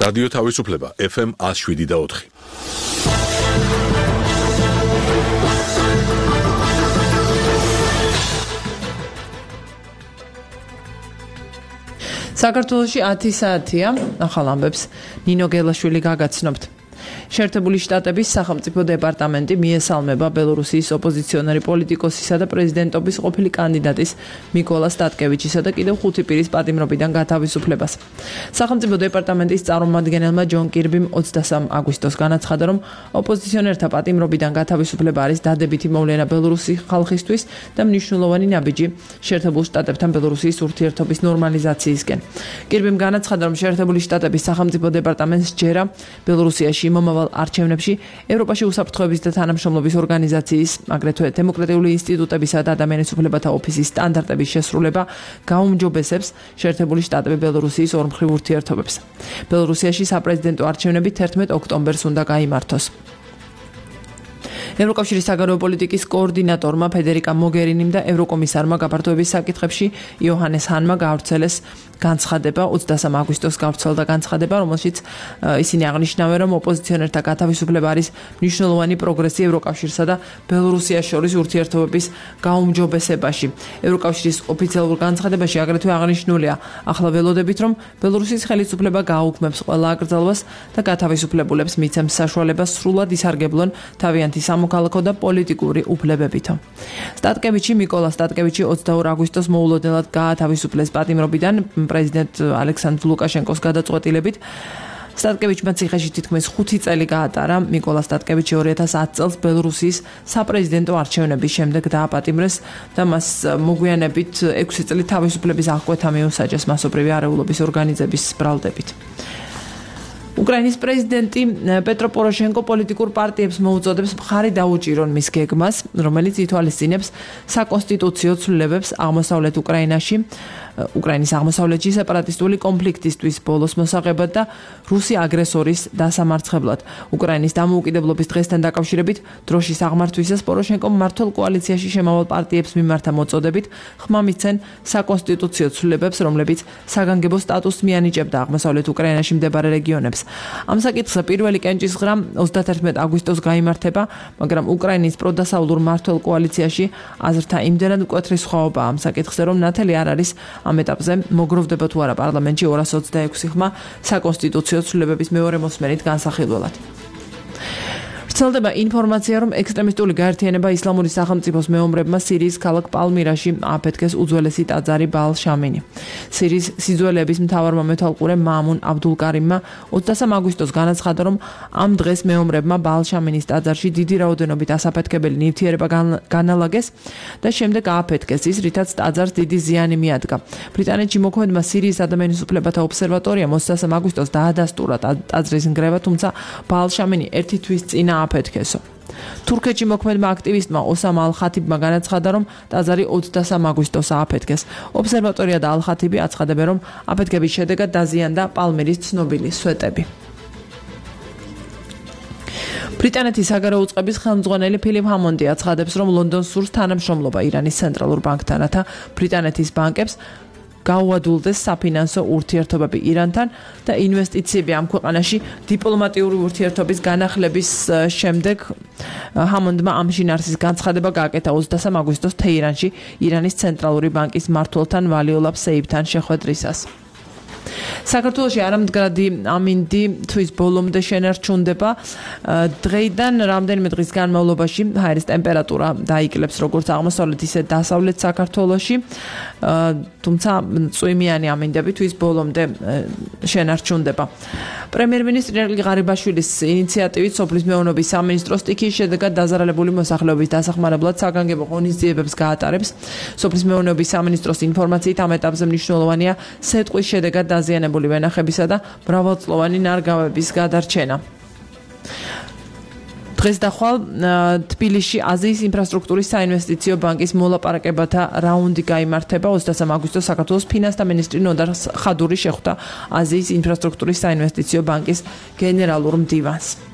რადიო თავისუფლება FM 107.4. საქართველოში 10 საათია, ახალ ამბებს ნინო გელაშვილი გაგაცნობთ. შეერთებული შტატების სახელმწიფო დეპარტამენტი მიესალმება ბელორუსიის ოპოზიციონერი პოლიტიკოსისა და პრეზიდენტობის ყოფილი კანდიდატის მიკოლა სტატკევიჩისა და კიდევ 5 პირის პატიმრობიდან გათავისუფლებას. სახელმწიფო დეპარტამენტის წარმომადგენელმა ჯონ კირბიმ 23 აგვისტოს განაცხადა, რომ ოპოზიციონერთა პატიმრობიდან გათავისუფლება არის დადებითი მოვლენა ბელორუსის ხალხისთვის და მნიშვნელოვანი ნაბიჯი შეერთებულ შტატებთან ბელორუსიის ურთიერთობის ნორმალიზაციისკენ. კირბიმ განაცხადა, რომ შეერთებული შტატების სახელმწიფო დეპარტამენტს ჯერა ბელორუსიაში მომავალ არჩევნებში ევროპაში უსაფრთხოების და თანამშრომლობის ორგანიზაციის, აგრეთვე დემოკრატიული ინსტიტუტებისა და ადამიანის უფლებათა ოფისის სტანდარტების შესრულება გაუმჯობესებს შეერთებული შტატები ბელორუსიის ორმხრივ ურთიერთობებს. ბელორუსიაში საპრეზიდენტო არჩევნები 11 ოქტომბერს უნდა გაიმართოს. ევროკავშირის საგარეო პოლიტიკის კოორდინატორმა ფედერიკა მოგერინიმ და ევროკომისარმა გაფართოების საკითხებში იოჰანეს ჰანმა გაავრცელეს განცხადება 23 აგვისტოს გავრცელდა განცხადება, რომელშიც ისინი აღნიშნავენ, რომ ოპოზიციონერთა გათავისუფლება არის მნიშვნელოვანი პროგრესი ევროკავშირსა და ბელორუსიას შორის ურთიერთობების გაუმჯობესებაში. ევროკავშირის ოფიციალურ განცხადებაში აგრეთვე აღნიშნულია ახლა ველოდებით, რომ ბელორუსის ხელისუფლება გააუქმებს ყველა აკრძალვას და გათავისუფლებულებს მიცემს საშუალებას სრულად ისარგებლონ თავიანთი სამოქალაქო და პოლიტიკური უფლებებითო. სტატკევიჩი მიკოლა სტატკევიჩი 22 აგვისტოს მოულოდნელად გაათავისუფლეს პატიმრობიდან პრეზიდენტ ალექსანდრ ლუკაშენკოს გადაწყვეტილებით. სტატკევიჩმა ციხეში თითქმის 5 წელი გაატარა. მიკოლა სტატკევიჩი 2010 წელს ბელორუსიის საპრეზიდენტო არჩევნების შემდეგ დააპატიმრეს და მას მოგვიანებით 6 წელი თავისუფლების აღკვეთა მიუსაჯეს მასობრივი არეულობის ორგანიზების ბრალდებით. უკრაინის პრეზიდენტი პეტრო პოროშენკო პოლიტიკურ პარტიებს მოუწოდებს მხარი დაუჭირონ მის გეგმას, რომელიც ითვალისწინებს საკონსტიტუციო ცვლილებებს აღმოსავლეთ უკრაინაში, უკრაინის აღმოსავლეთში სეპარატისტული კონფლიქტისთვის ბოლოს მოსაღებად და რუსი აგრესორის დასამარცხებლად. უკრაინის დამოუკიდებლობის დღესთან დაკავშირებით დროშის აღმართვისას პოროშენკომ მმართველ კოალიციაში შემავალ პარტიებს მიმართა მოწოდებით ხმა მიცენ საკონსტიტუციო ცვლილებებს, რომლებიც საგანგებო სტატუსს მიანიჭებდა აღმოსავლეთ უკრაინაში მდებარე რეგიონებს. ამ საკითხზე პირველი კენჭისყრა 31 აგვისტოს გაიმართება, მაგრამ უკრაინის პროდასავლურ მმართველ კოალიციაში აზრთა იმდენად მკვეთრი სხვაობაა ამ საკითხზე, რომ ნათელი არ არის ამ ეტაპზე მოგროვდება თუ არა პარლამენტში 226 ხმა საკონსტიტუციო ცვლილებების მეორე მოსმენით განსახილველად. ვრცელდება ინფორმაცია, რომ ექსტრემისტული გაერთიანება ისლამური სახელმწიფოს მეომრებმა სირიის ქალაქ პალმირაში აფეთქეს უძველესი ტაძარი ბაალ შამინი. სირიის სიძველეების მთავარმა მეთვალყურე მაამუნ აბდულკარიმმა 23 აგვისტოს განაცხადა, რომ ამ დღეს მეომრებმა ბაალ შამინის ტაძარში დიდი რაოდენობით ასაფეთქებელი ნივთიერება განალაგეს და შემდეგ ააფეთქეს ის, რითაც ტაძარს დიდი ზიანი მიადგა. ბრიტანეთში მოქმედმა სირიის ადამიანის უფლებათა ობსერვატორიამ 23 აგვისტოს დაადასტურა ტაძრის ნგრევა, თუმცა ბაალ შამინი ერთი თვის წინ აფეთქესო. თურქეთში მოქმედმა აქტივისტმა ოსამ ალ-ხათიბმა განაცხადა, რომ ტაძარი 23 აგვისტოს ააფეთქეს. ობსერვატორია და ალ-ხათიბი აცხადებენ, რომ აფეთქების შედეგად დაზიანდა პალმირის ცნობილი სვეტები. ბრიტანეთის საგარეო უწყების ხელმძღვანელი ფილიპ ჰამონდი აცხადებს, რომ ლონდონს სურს თანამშრომლობა ირანის ცენტრალურ ბანკთან, რათა ბრიტანეთის ბანკებს გაუადულდეს საფინანსო ურთიერთობები ირანთან და ინვესტიციები ამ ქვეყანაში დიპლომატიური ურთიერთობის განახლების შემდეგ ჰამონდმა ამ შინაარსის განცხადება გააკეთა 23 აგვისტოს თეირანში ირანის ცენტრალური ბანკის მმართველთან ვალიოლაბ სეიფთან შეხვედრისას. საქართველოში არამდგრადი ამინდი თვის ბოლომდე შენარჩუნდება. დღეიდან რამდენიმე დღის განმავლობაში ჰაერის ტემპერატურა დაიკლებს როგორც აღმოსავლეთ ისე დასავლეთ საქართველოში, თუმცა წვიმიანი ამინდები თვის ბოლომდე შენარჩუნდება. პრემიერ-მინისტრი ერგილ ღარიბაშვილის ინიციატივით სოფლის მეურნეობის სამინისტრო სტიქიის შედეგად დაზარალებული მოსახლეობის დასახმარებლად საგანგებო ღონისძიებებს გაატარებს. სოფლის მეურნეობის სამინისტროს ინფორმაციით ამ ეტაპზე მნიშვნელოვანია სეტყვის შედეგად დაზიანებული ვენახებისა და მრავალწლოვანი ნარგავების გადარჩენა. დღეს და ხვალ თბილისში აზიის ინფრასტრუქტურის საინვესტიციო ბანკის მოლაპარაკებათა რაუნდი გაიმართება. 23 აგვისტოს საქართველოს ფინანსთა მინისტრი ნოდარ ხადური შეხვდა აზიის ინფრასტრუქტურის საინვესტიციო ბანკის გენერალურ მდივანს.